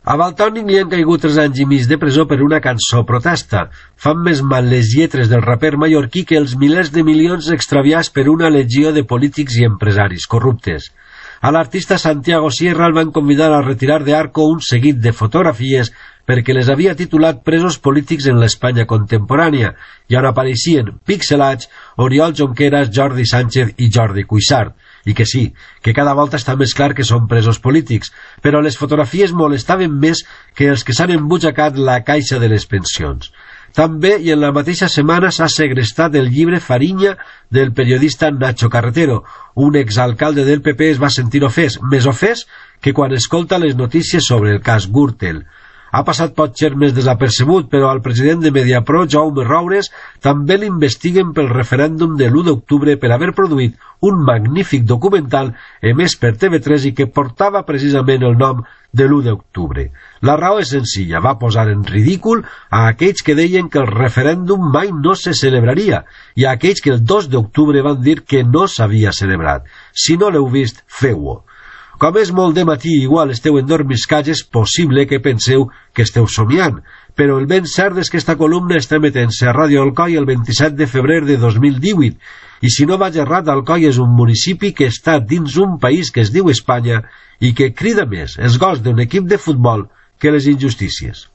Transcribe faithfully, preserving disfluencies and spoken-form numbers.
A Valtònic li han caigut tres anys i mig de presó per una cançó protesta. Fan més mal les lletres del raper mallorquí que els milers de milions extraviats per una legió de polítics i empresaris corruptes. A l'artista Santiago Sierra el van convidar a retirar d'Arco un seguit de fotografies perquè les havia titulat presos polítics en l'Espanya contemporània i on apareixien pixelats Oriol Junqueras, Jordi Sánchez i Jordi Cuixart. I que sí, que cada volta està més clar que són presos polítics, però les fotografies molestaven més que els que s'han embutxacat la caixa de les pensions. També, i en la mateixa setmana, s'ha segrestat el llibre Fariña del periodista Nacho Carretero. Un exalcalde del P P es va sentir ofès, més ofès que quan escolta les notícies sobre el cas Gürtel. Ha passat potser més desapercebut, però al president de Mediapro, Jaume Roures, també l'investiguen pel referèndum de l'u d'octubre per haver produït un magnífic documental emès per T V tres i que portava precisament el nom de l'u d'octubre. La raó és senzilla, va posar en ridícul a aquells que deien que el referèndum mai no se celebraria i a aquells que el dos d'octubre van dir que no s'havia celebrat. Si no l'heu vist, feu-ho. Com és molt de matí i igual esteu endormiscats, és possible que penseu que esteu somiant, però el ben cert és que esta columna està emetent-se a Ràdio Alcoi el vint-i-set de febrer de dos mil divuit, i si no vaig errat, Alcoi és un municipi que està dins un país que es diu Espanya i que crida més els gols d'un equip de futbol que les injustícies.